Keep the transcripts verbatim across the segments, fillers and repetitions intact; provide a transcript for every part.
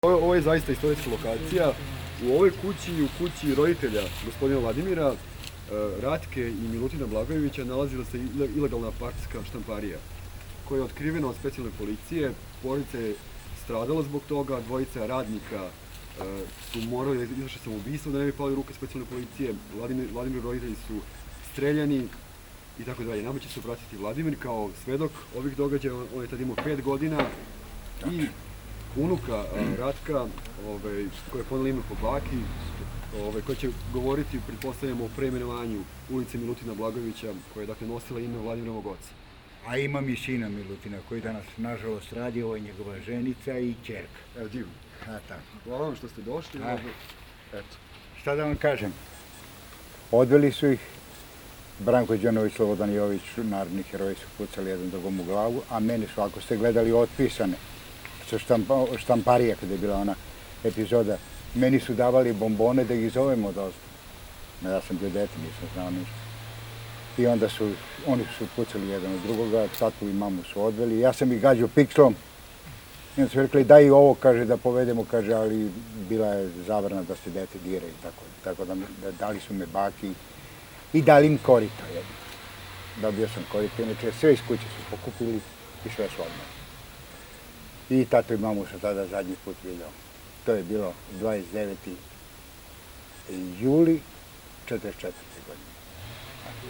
Ovo je zaista istorijska lokacija. U ovoj kući i u kući roditelja gospodina Vladimira, Ratke i Milutina Blagojevića nalazila se ilegalna partijska štamparija koja je otkrivena od specijalne policije. Porodica je stradala zbog toga, dvojica radnika su morali da izvrše samoubistvo da ne bi pali u ruke specijalne policije. Vladimir roditelji su streljani i tako dalje. Nama će se obratiti Vladimir kao svedok ovih događaja. On je tad imao pet godina i unuka Ratka, koja je ponela ime po baki, koja će govoriti, pretpostavljamo, o preimenovanju ulice Milutina Blagojevića, koja je dakle nosila ime Vladimirovog oca. A imam i sina Milutina, koji danas, nažalost, radi, ovo je njegova ženica i ćerka. Evo, divno. A, tako. Hvala vam što ste došli. Eto. Šta da vam kažem? Odveli su ih, Branko Đanović, Slobodan Jović, narodni heroji su pucali jedan drugom u glavu, a meni su, ako ste gledali otpisane, sa štamparija, kada je bila ona epizoda, meni su davali bombone da ih zovemo da ozbiljno. Ja sam bio dete, nisam znao ništa. I onda su, oni su pucali jedan od drugoga, tatu i mamu su odveli. Ja sam ih gađao pikslom. I onda su rekli, daj i ovo, kaže, da povedemo, kaže, ali bila je zabrana da se dete dira i tako. Tako da dali su me baki i dali im korito jedno. Dobio sam korito, inače sve iz kuće su pokupili i sve su odmah. I tato i mamu sam tada zadnji put vidio. To je bilo dvadeset deveti juli četrdeset četvrte godine.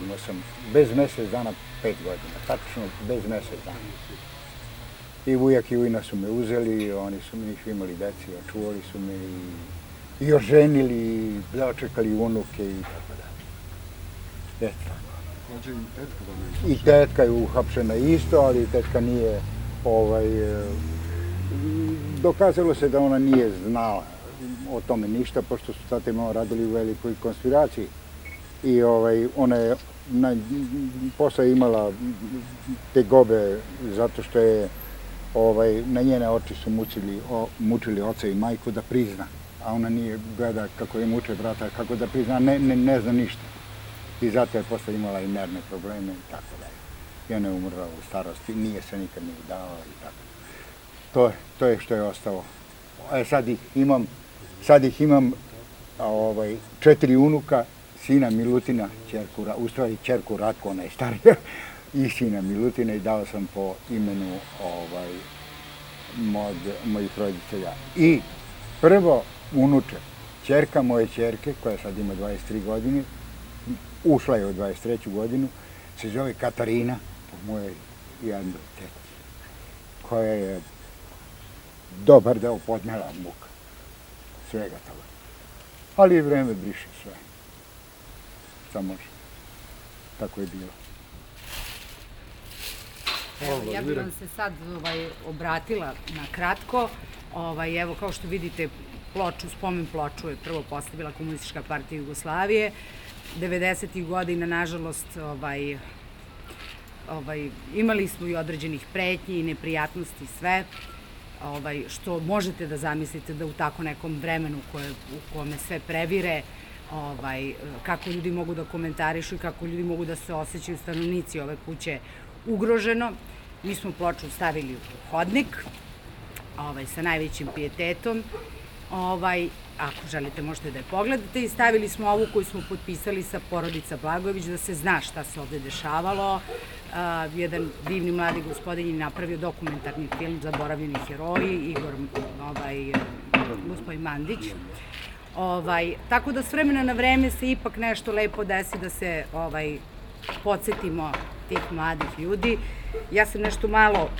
Imao sam bez mesec dana pet godina, tačno bez mesec dana. I ujak i ujna su me uzeli, oni su mi nisu imali deci, očuvali su me i oženili, i dočekali unuke i tako da. Eto. I tetka je uhapšena isto, ali tetka nije, ovaj, dokazalo se da ona nije znala o tome ništa, pošto su tata i mama radili u velikoj konspiraciji. I ovaj, ona je na, posle imala tegobe zato što je ovaj, na njene oči su mučili, o, mučili oca i majku da prizna. A ona nije gleda kako je muče brata, kako da prizna, ne, ne, ne zna ništa. I zato je posle imala i nervne probleme i tako dalje. I ona je umrla u starosti, nije se nikad ni udala i tako. To, to je što je ostalo. E, sad ih imam, sad ih imam ovaj, četiri unuka, sina Milutina, čerku, u stvari čerku Ratku, ona je starija, i sina Milutina i dao sam po imenu ovaj, mod, mojih roditelja. I prvo unuče, čerka moje čerke, koja sad ima dvadeset tri godine, ušla je u dvadeset treću godinu, se zove Katarina, po mojoj jednoj teti, koja je dobar deo podnela muka, svega toga. Ali i vreme briše sve. Šta može. Tako je bilo. Evo, ja bih vam se sad ovaj, obratila na kratko. Ovaj, evo, kao što vidite, ploču, spomen ploču je prvo postavila Komunistička partija Jugoslavije. devedesetih godina, nažalost, ovaj, ovaj, imali smo i određenih pretnji i neprijatnosti sve, ovaj, što možete da zamislite da u tako nekom vremenu koje, u kome sve previre, ovaj, kako ljudi mogu da komentarišu i kako ljudi mogu da se osjećaju stanovnici ove kuće ugroženo. Mi smo ploču stavili u hodnik, ovaj, sa najvećim pijetetom. Ovaj, ako želite možete da je pogledate, i stavili smo ovu koju smo potpisali sa porodica Blagojević da se zna šta se ovde dešavalo. Uh, jedan divni mladi gospodin je napravio dokumentarni film Zaboravljeni heroji, Igor, ovaj, gospodin Mandić. Ovaj, tako da s vremena na vreme se ipak nešto lepo desi da se ovaj, podsjetimo tih mladih ljudi. Ja sam nešto malo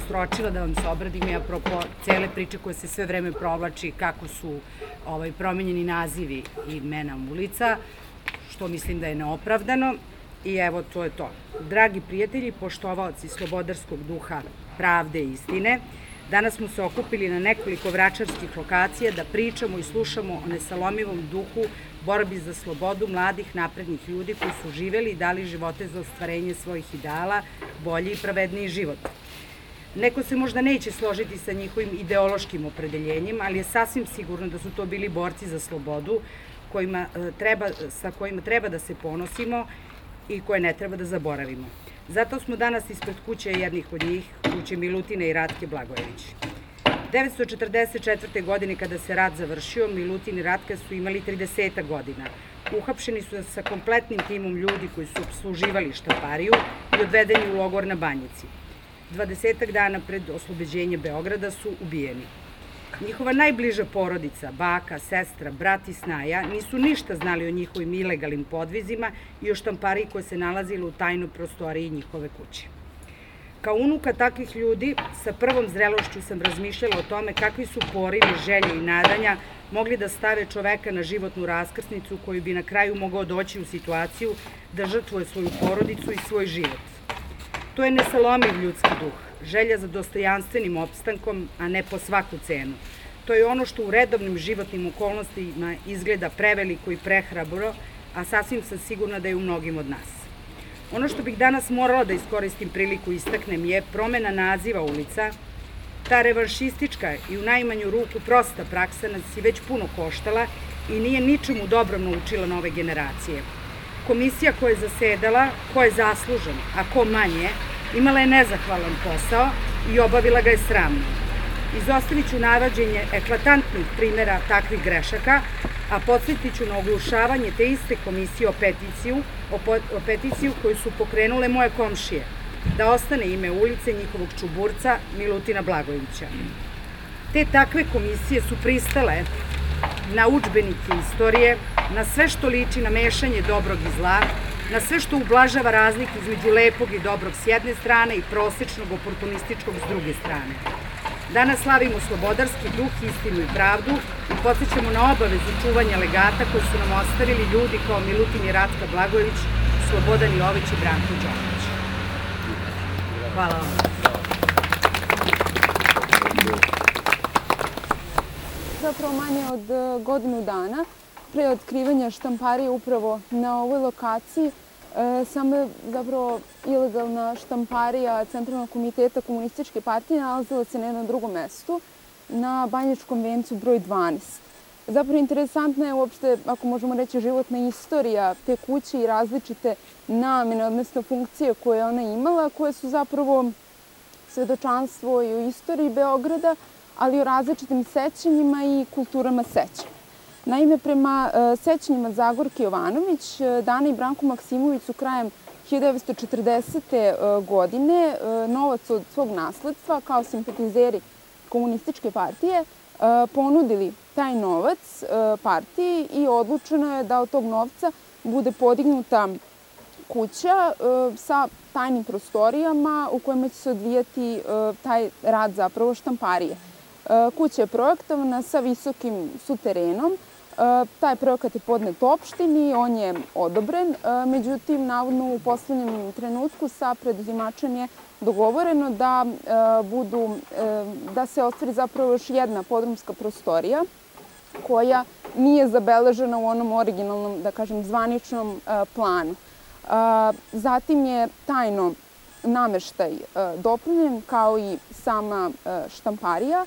sročila da vam se obradim i apropo cele priče koje se sve vreme provlači kako su ovaj, promenjeni nazivi i imena ulica, što mislim da je neopravdano. I evo, to je to. Dragi prijatelji, poštovaoci slobodarskog duha, pravde i istine, danas smo se okupili na nekoliko vračarskih lokacija da pričamo i slušamo o nesalomivom duhu borbi za slobodu mladih naprednih ljudi koji su živeli i dali živote za ostvarenje svojih ideala, bolji i pravedniji život. Neko se možda neće složiti sa njihovim ideološkim opredeljenjem, ali je sasvim sigurno da su to bili borci za slobodu kojima treba, sa kojima treba da se ponosimo i koje ne treba da zaboravimo. Zato smo danas ispred kuće jednih od njih, kuće Milutina i Ratke Blagojević. devetsto četrdeset četvrte. godine kada se rat završio, Milutin i Ratka su imali trideset godina. Uhapšeni su sa kompletnim timom ljudi koji su obsluživali štampariju i odvedeni u logor na Banjici. Dvadesetak dana pred oslobođenje Beograda su ubijeni. Njihova najbliža porodica, baka, sestra, brat i snaja, nisu ništa znali o njihovim ilegalnim podvizima i o štampariji koja se nalazila u tajnoj prostoriji njihove kuće. Kao unuka takvih ljudi, sa prvom zrelošću sam razmišljala o tome kakvi su porivi, želje i nadanja mogli da stave čoveka na životnu raskrsnicu koji bi na kraju mogao doći u situaciju da žrtvuje svoju porodicu i svoj život. To je nesalomiv ljudski duh, želja za dostojanstvenim opstankom, a ne po svaku cenu. To je ono što u redovnim životnim okolnostima izgleda preveliko i prehrabro, a sasvim sam sigurna da je u mnogim od nas. Ono što bih danas morala da iskoristim priliku istaknem je promena naziva ulica. Ta revanšistička i u najmanju ruku prosta praksa nas je već puno koštala i nije ničemu dobrom naučila nove generacije. Komisija koja je zasedala, ko je zaslužen, a ko manje, imala je nezahvalan posao i obavila ga je sramno. Izostavit ću navođenje eklatantnih primjera takvih grešaka, a podsjetit ću na oglušavanje te iste komisije o peticiju, o, po, o peticiju koju su pokrenule moje komšije, da ostane ime ulice njihovog čuburca Milutina Blagojevića. Te takve komisije su pristale na udžbenike istorije, na sve što liči na mešanje dobrog i zla, na sve što ublažava razliku između lepog i dobrog s jedne strane i prosečnog oportunističkog s druge strane. Danas slavimo slobodarski duh, istinu i pravdu i podsjećamo na obavezu čuvanja legata koji su nam ostavili ljudi kao Milutin i Ratka Blagojević, Slobodan Jović i Branko Đorović. Hvala vam. Zapravo manje od godinu dana pre otkrivanja štamparije upravo na ovoj lokaciji samo je zapravo ilegalna štamparija Centralnog komiteta Komunističke partije nalazila se na jednom drugom mestu, na Banjičkom vencu broj dvanaest. Zapravo interesantna je uopšte, ako možemo reći, životna istorija te kuće i različite namene, odnosno funkcije koje je ona imala, koje su zapravo svedočanstvo i u istoriji Beograda, ali i o različitim sećanjima i kulturama sećanja. Naime, prema sećanjima Zagorke Jovanović, Dana i Branko Maksimović su krajem hiljadu devetsto četrdesete. godine novac od svog nasledstva, kao simpatizeri Komunističke partije, ponudili taj novac partiji i odlučeno je da od tog novca bude podignuta kuća sa tajnim prostorijama u kojima će se odvijati taj rad zapravo štamparije. Kuća je projektovana sa visokim suterenom. Taj projekat je podnet opštini, on je odobren, međutim, navodno u poslednjem trenutku sa preduzimačem je dogovoreno da, budu, da se ostvari zapravo još jedna podrumska prostorija koja nije zabeležena u onom originalnom, da kažem, zvaničnom planu. Zatim je tajno nameštaj dopunjen kao i sama štamparija.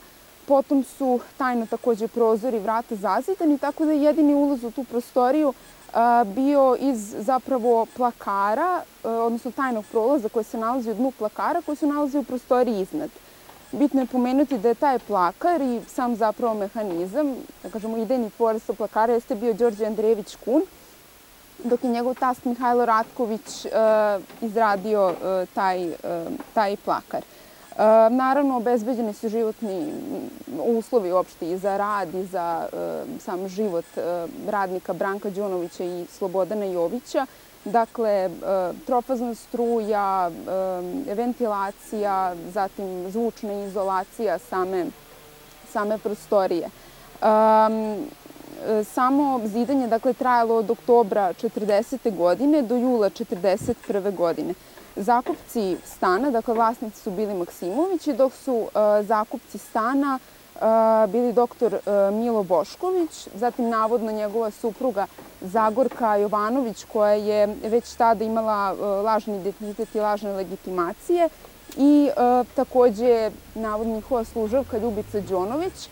Potom su tajno takođe prozori i vrata zazidani, tako da je jedini ulaz u tu prostoriju bio iz zapravo plakara, odnosno tajnog prolaza koji se nalazi u dnu plakara, koji se nalazi u prostoriji iznad. Bitno je pomenuti da je taj plakar i sam zapravo mehanizam, da kažemo idejni tvorac plakara, jeste bio Đorđe Andrejević Kun, dok je njegov tast Mihajlo Ratković izradio taj, taj plakar. Naravno, obezbeđeni su životni uslovi uopšte i za rad i za sam život radnika Branka Đunovića i Slobodana Jovića. Dakle, trofazna struja, ventilacija, zatim zvučna izolacija same, same prostorije. Samo zidanje, dakle, trajalo od oktobra četrdesete. godine do jula četrdeset prve. godine. Zakupci stana, dakle vlasnici su bili Maksimovići, dok su zakupci stana bili doktor Milo Bošković, zatim navodno njegova supruga Zagorka Jovanović, koja je već tada imala lažni identitet i lažne legitimacije, i takođe navodno njihova služavka Ljubica Đonović,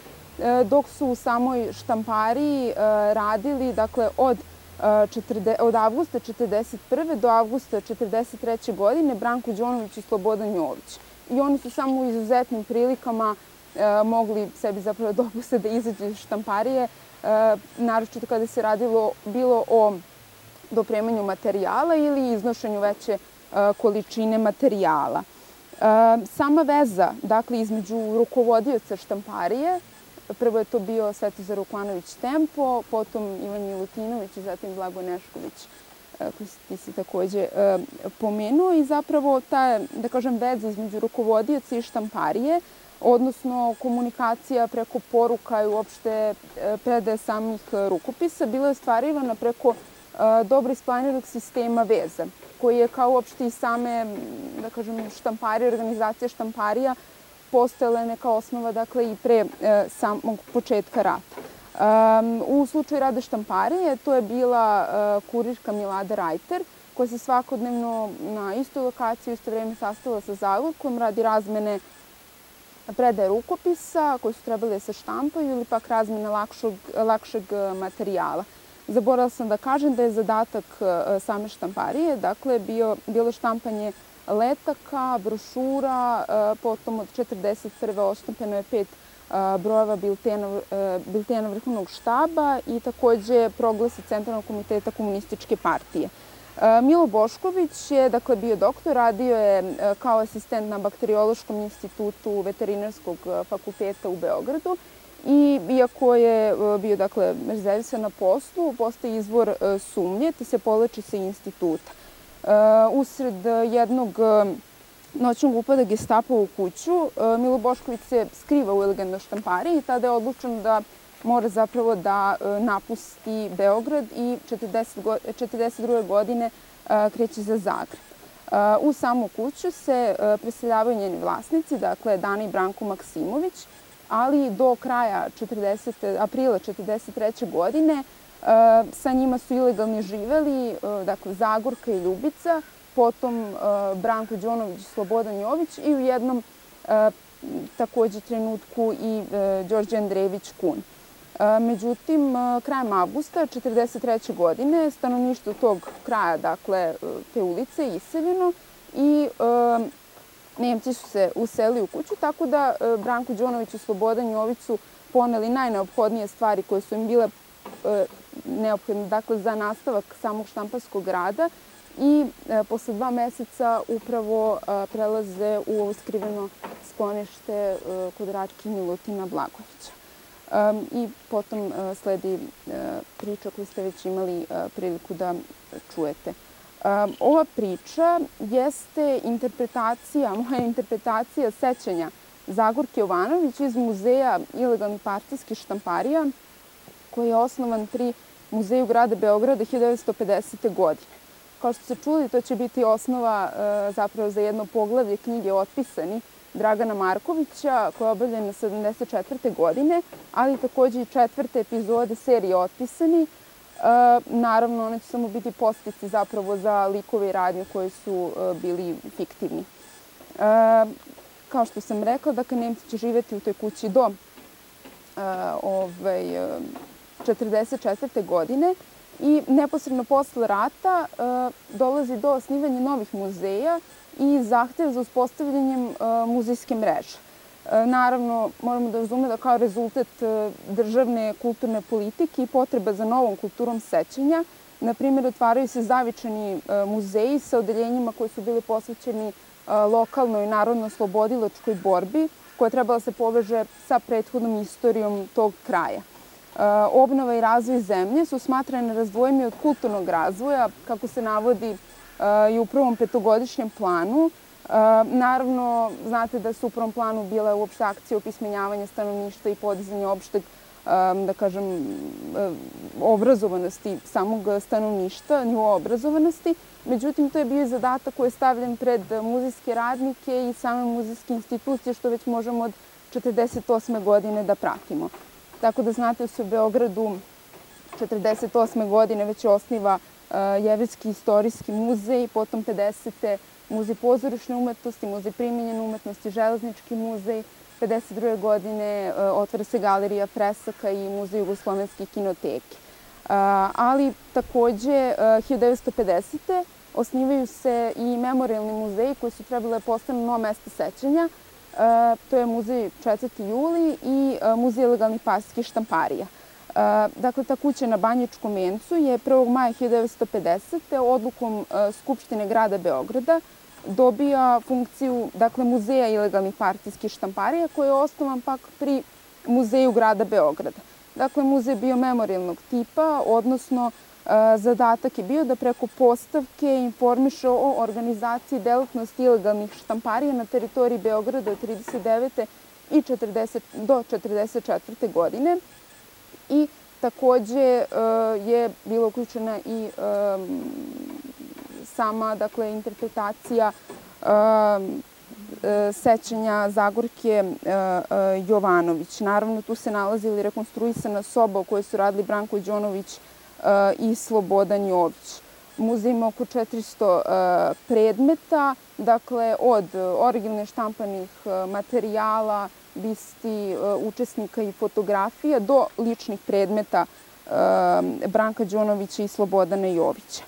dok su u samoj štampariji radili, dakle, od od avgusta četrdeset prve. do avgusta četrdeset treće. godine Branko Đonović i Slobodan Jović. I oni su samo u izuzetnim prilikama mogli sebi zapravo dopuste da izađu iz štamparije, naročito kada se radilo bilo o dopremanju materijala ili iznošenju veće količine materijala. Sama veza, dakle, između rukovodioca štamparije, prvo je to bio Svetozar Vukmanović Tempo, potom Ivan Milutinović i zatim Blago Nešković, koji ti si takođe pomenuo, i zapravo ta, da kažem, veza između rukovodioca i štamparije, odnosno komunikacija preko poruka i uopšte predaje samih rukopisa, bila je ostvarivana preko dobro isplaniranog sistema veza, koji je kao uopšte i same, da kažem, štamparije, organizacija štamparija postojala neka osnova, dakle, i pre samog početka rata. U slučaju rada štamparije to je bila kurirka Milada Rajter, koja se svakodnevno na istoj lokaciji u isto vreme sastavila sa Zagorkom radi razmene predaje rukopisa koji su trebali da se štampaju ili pak razmene lakšeg materijala. Zaboravila sam da kažem da je zadatak same štamparije, dakle, bilo štampanje letaka, brošura, potom od četrdeset prve oštampano je pet brojeva biltena Vrhovnog štaba i takođe proglasi Centralnog komiteta Komunističke partije. Milo Bošković je, dakle, bio doktor, radio je kao asistent na Bakteriološkom institutu Veterinarskog fakulteta u Beogradu i iako je bio, dakle, rezervisan na poslu, postoji izvor sumnje, te se povlači sa instituta. Usred jednog noćnog upada Gestapa u kuću, Milo Bošković se skriva u elegantnoj štampariji i tada je odlučeno da mora zapravo da napusti Beograd i četrdeset druge godine kreće za Zagreb. U samu kuću se preseljavaju njeni vlasnici, dakle Dana i Branko Maksimović, ali do kraja aprila četrdeset treće godine sa njima su ilegalni živeli, dakle Zagorka i Ljubica, potom Branko Đonović i Slobodan Jović i u jednom takođe trenutku i Đorđe Andrejević Kun. Međutim, krajem avgusta četrdeset treće godine stanovništvo tog kraja, dakle te ulice, je iseljeno i Nemci su se uselili u kuću, tako da Branko Đonović i Slobodan Jović su poneli najneophodnije stvari koje su im bile neophodne, dakle, za nastavak samog štamparskog rada i posle dva meseca upravo prelaze u ovo skriveno sklonište kod Rački Milutina Blagojevića. I potom sledi priča koju ste već imali priliku da čujete. Ova priča jeste interpretacija, moja interpretacija sećanja Zagorke Jovanović iz Muzeja ilegalnih partijskih štamparija, koji je osnovan pri Muzeju grada Beograda hiljadu devetsto pedesete. godine. Kao što ste čuli, to će biti osnova zapravo za jedno poglavlje knjige Otpisani Dragana Markovića, koja je obavljena sedamdeset četvrte. godine, ali takođe i četvrte epizode serije Otpisani. Naravno, one će samo biti postici zapravo za likove i radnje koji su bili fiktivni. Kao što sam rekla, dakle, Nemci će živeti u toj kući do četrdeset četvrte. godine i neposredno posle rata dolazi do osnivanja novih muzeja i zahtev za uspostavljanjem muzejske mreže. Naravno, moramo da razumemo da kao rezultat državne kulturne politike i potreba za novom kulturom sećanja, na primjer, otvaraju se zavičani muzeji sa odeljenjima koji su bili posvećeni lokalnoj narodno-oslobodilačkoj borbi, koja je trebala se poveže sa prethodnom istorijom tog kraja. Obnova i razvoj zemlje su smatrane nerazdvojeni od kulturnog razvoja, kako se navodi i u prvom petogodišnjem planu. Naravno, znate da su u prvom planu bile uopšte akcije opismenjavanja stanovništva i podizanja opšteg, da kažem, obrazovanosti samog stanovništva, nivoa obrazovanosti. Međutim, to je bio zadatak koji je stavljen pred muzejske radnike i same muzejske institucije, što već možemo od četrdeset osme. godine da pratimo. Tako da znate da se u Beogradu četrdeset osme. godine već osniva Jevrejski istorijski muzej, potom pedesete. Muzej pozorišne umetnosti, Muzej primenjene umetnosti, Železnički muzej. pedeset druge. godine otvara se Galerija Fresaka i Muzej jugoslovenske kinoteke. Ali takođe hiljadu devetsto pedesete. osnivaju se i memorijalni muzeji koji su trebali da postanu nova mesta sećanja. To je muzej četvrti juli i muzej ilegalnih partijskih štamparija. Dakle, ta kuća na Banjičkom vencu je prvog maja hiljadu devetsto pedesete. odlukom Skupštine grada Beograda dobija funkciju, dakle, muzeja ilegalnih partijskih štamparija koji je osnovan pak pri muzeju grada Beograda. Dakle, muzej je bio memorijalnog tipa, odnosno zadatak je bio da preko postavke informiše o organizaciji delatnosti ilegalnih štamparija na teritoriji Beograda od trideset devete i do četrdeset četvrte. godine. I takođe je bila uključena i sama, dakle, interpretacija sećanja Zagorke Jovanović. Naravno, tu se nalazila i rekonstruisana soba u kojoj su radili Branko Đonović i Slobodan Jović. Muzej ima oko četiristo predmeta, dakle, od originalne štampanih materijala, bisti učesnika i fotografija do ličnih predmeta Branka Đonovića i Slobodana Jovića.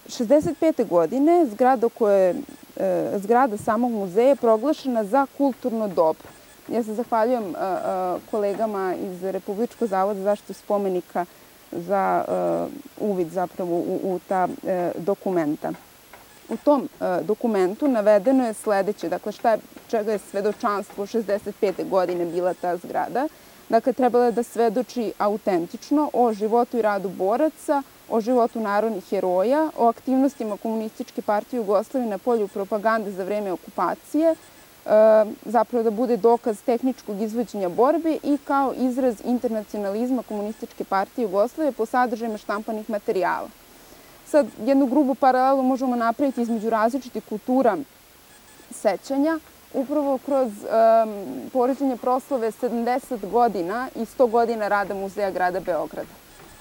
šezdeset pete. godine zgrada, koje, zgrada samog muzeja je proglašena za kulturno dobro. Ja se zahvaljujem kolegama iz Republičkog zavoda za zaštitu spomenika za uvid zapravo u, u ta dokumenta. U tom dokumentu navedeno je sledeće, dakle, šta je, čega je svedočanstvo šezdeset pete. godine bila ta zgrada. Dakle, trebala je da svedoči autentično o životu i radu boraca, o životu narodnih heroja, o aktivnostima Komunističke partije Jugoslavije na polju propagande za vreme okupacije, zapravo da bude dokaz tehničkog izvođenja borbe i kao izraz internacionalizma Komunističke partije Jugoslavije po sadržajima štampanih materijala. Sad, jednu grubu paralelu možemo napraviti između različitih kultura sećanja, upravo kroz poređenje proslave sedamdeset godina i sto godina rada Muzeja grada Beograda.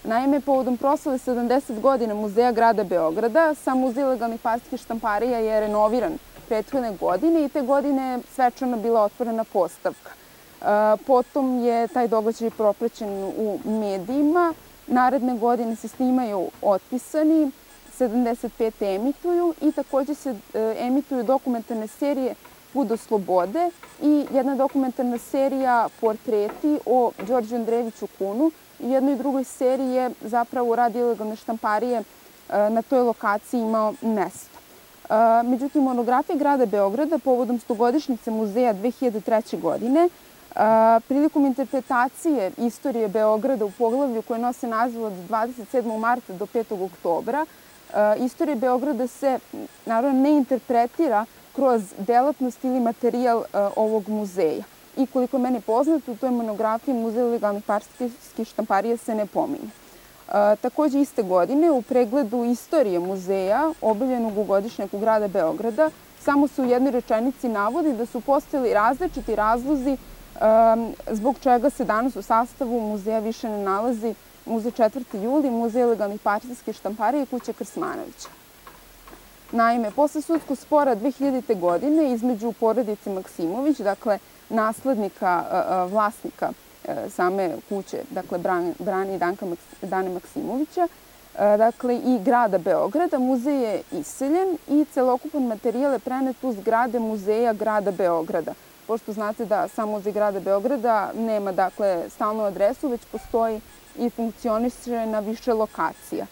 Naime, povodom proslave sedamdeset godina Muzeja grada Beograda, sam Muzej ilegalnih partijskih štamparija je renoviran prethodne godine i te godine je svečano bila otvorena postavka. Potom je taj događaj propraćen u medijima. Naredne godine se snimaju Otpisani, sedamdeset pete emituju i takođe se emituju dokumentarne serije Put do slobode i jedna dokumentarna serija Portreti o Đorđu Andrejeviću Kunu. I jednoj i drugoj seriji je zapravo rad ilegalne štamparije na toj lokaciji imao mesto. Međutim, monografija grada Beograda povodom stogodišnjice muzeja dve hiljade treće. godine prilikom interpretacije istorije Beograda u poglavlju koje nose naziv od dvadeset sedmog marta do petog oktobra, istorija Beograda se, naravno, ne interpretira kroz delatnost ili materijal ovog muzeja. I koliko je meni poznato, u toj monografiji Muzej ilegalnih partijskih štamparija se ne pominje. Takođe, iste godine, u pregledu istorije muzeja, objavljenog u godišnjaku grada Beograda, samo se u jednoj rečenici navodi da su postojali različiti razlozi zbog čega se danas u sastavu muzeja više ne nalazi Muzej četvrti juli, Muzej ilegalnih partijskih štamparija i Kuća Krsmanovića. Naime, posle sudskog spora dve hiljadite. godine između porodice Maksimović, dakle naslednika vlasnika same kuće, dakle Brane i Dane Maksimovića, dakle i grada Beograda, muzej je iseljen i celokupan materijal je prenet u zgrade Muzeja grada Beograda. Pošto znate da sam Muzej grada Beograda nema, dakle, stalnu adresu, već postoji i funkcioniše na više lokacija.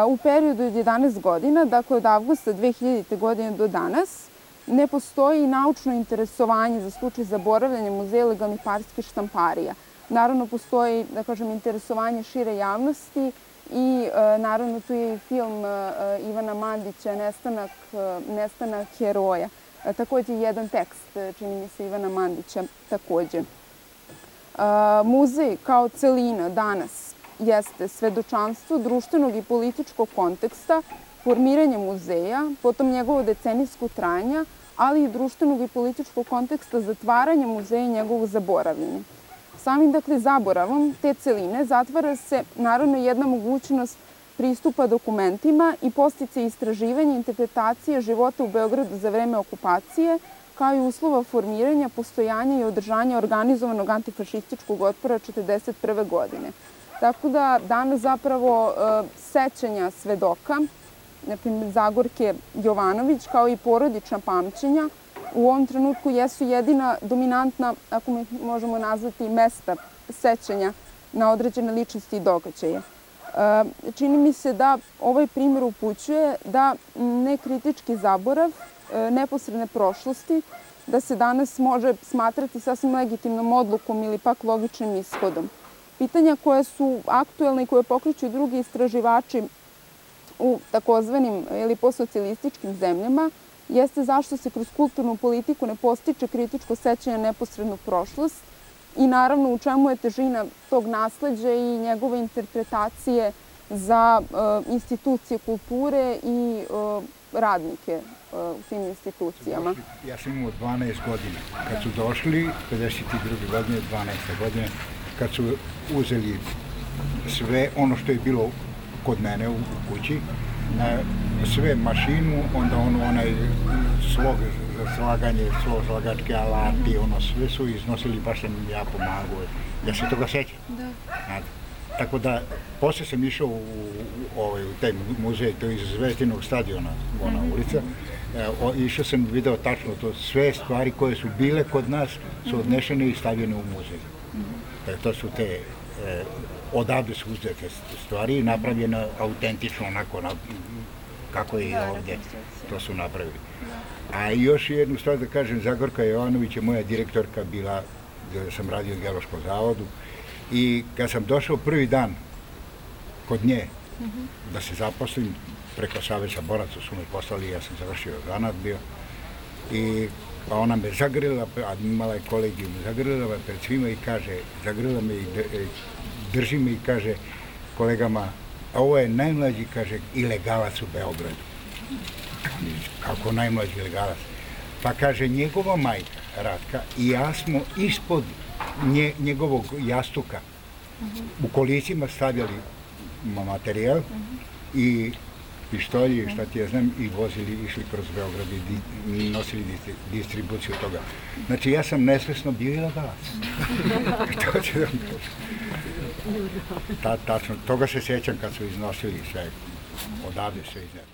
U periodu od jedanaest godina, dakle od avgusta dve hiljadite. godine do danas, ne postoji naučno interesovanje za slučaj zaboravljanja Muzeja ilegalnih partijskih štamparija. Naravno, postoji, da kažem, interesovanje šire javnosti i naravno tu je i film Ivana Mandića Nestanak, Nestanak heroja. Takođe jedan tekst, čini mi se, Ivana Mandića takođe. Muzej kao celina danas jeste svedočanstvo društvenog i političkog konteksta, formiranja muzeja, potom njegovo decenijsko trajanja, ali i društvenog i političkog konteksta zatvaranja muzeja i njegovog zaboravljanja. Samim, dakle, zaboravom te celine zatvara se, naravno, jedna mogućnost pristupa dokumentima i podsticaj istraživanja i interpretacije života u Beogradu za vreme okupacije, kao i uslova formiranja, postojanja i održanja organizovanog antifašističkog otpora četrdeset prve. godine. Tako da danas zapravo sećanja svedoka, na primjer Zagorke Jovanović, kao i porodična pamćenja, u ovom trenutku jesu jedina dominantna, ako mi možemo nazvati, mesta sećanja na određene ličnosti i događaje. Čini mi se da ovaj primjer upućuje da nekritički zaborav neposredne prošlosti, da se danas može smatrati sasvim legitimnom odlukom ili pak logičnim ishodom. Pitanja koje su aktuelne i koje pokreću drugi istraživači u takozvanim ili postsocijalističkim zemljama jeste zašto se kroz kulturnu politiku ne postiče kritičko sećanje na neposrednu prošlost i naravno u čemu je težina tog nasleđa i njegove interpretacije za institucije kulture i radnike u tim institucijama. Ja sam imao dvanaest godina. Kad su došli, pedeset druge godine, dvanaeste godine, kad su uzeli sve ono što je bilo kod mene u kući, sve mašinu, onda ono, onaj slog za slaganje, slog slagačke alati, ono sve su iznosili, baš sam im ja pomagao. Ja se toga sećam. Da. Tako da, posle sam išao u, u, u taj muzej, to je iz Zvezdinog stadiona, ona ulica. Išao sam i video tačno to, sve stvari koje su bile kod nas su odnešene i stavljene u muzej. To su te, odavde su uzete stvari i napravljene autentično onako kako je i ovdje to su napravili. A još jednu stvar da kažem, Zagorka Jovanović je moja direktorka bila, gdje sam radio u Geološkom zavodu, i kad sam došao prvi dan kod nje da se zaposlim, preko Saveza boraca su me poslali, ja sam završio zanat bio, i pa ona me zagrlila, a imala je kolegiju, me zagrlila pred svima i kaže, zagrlila me i drži me i kaže kolegama, ovo je najmlađi, kaže, ilegalac u Beogradu. Kako najmlađi ilegalac? Pa kaže, njegova majka, Ratka, i ja smo ispod nje, njegovog jastuka u kolicima stavljali materijal i pištolji, šta ti ja znam, i vozili, išli kroz Beograd i nosili distribuciju toga. Znači, ja sam nesvesno bio ilegalac. To će da mi kažem. Tačno, toga se sjećam kad su iznosili sve, odavde sve iznad.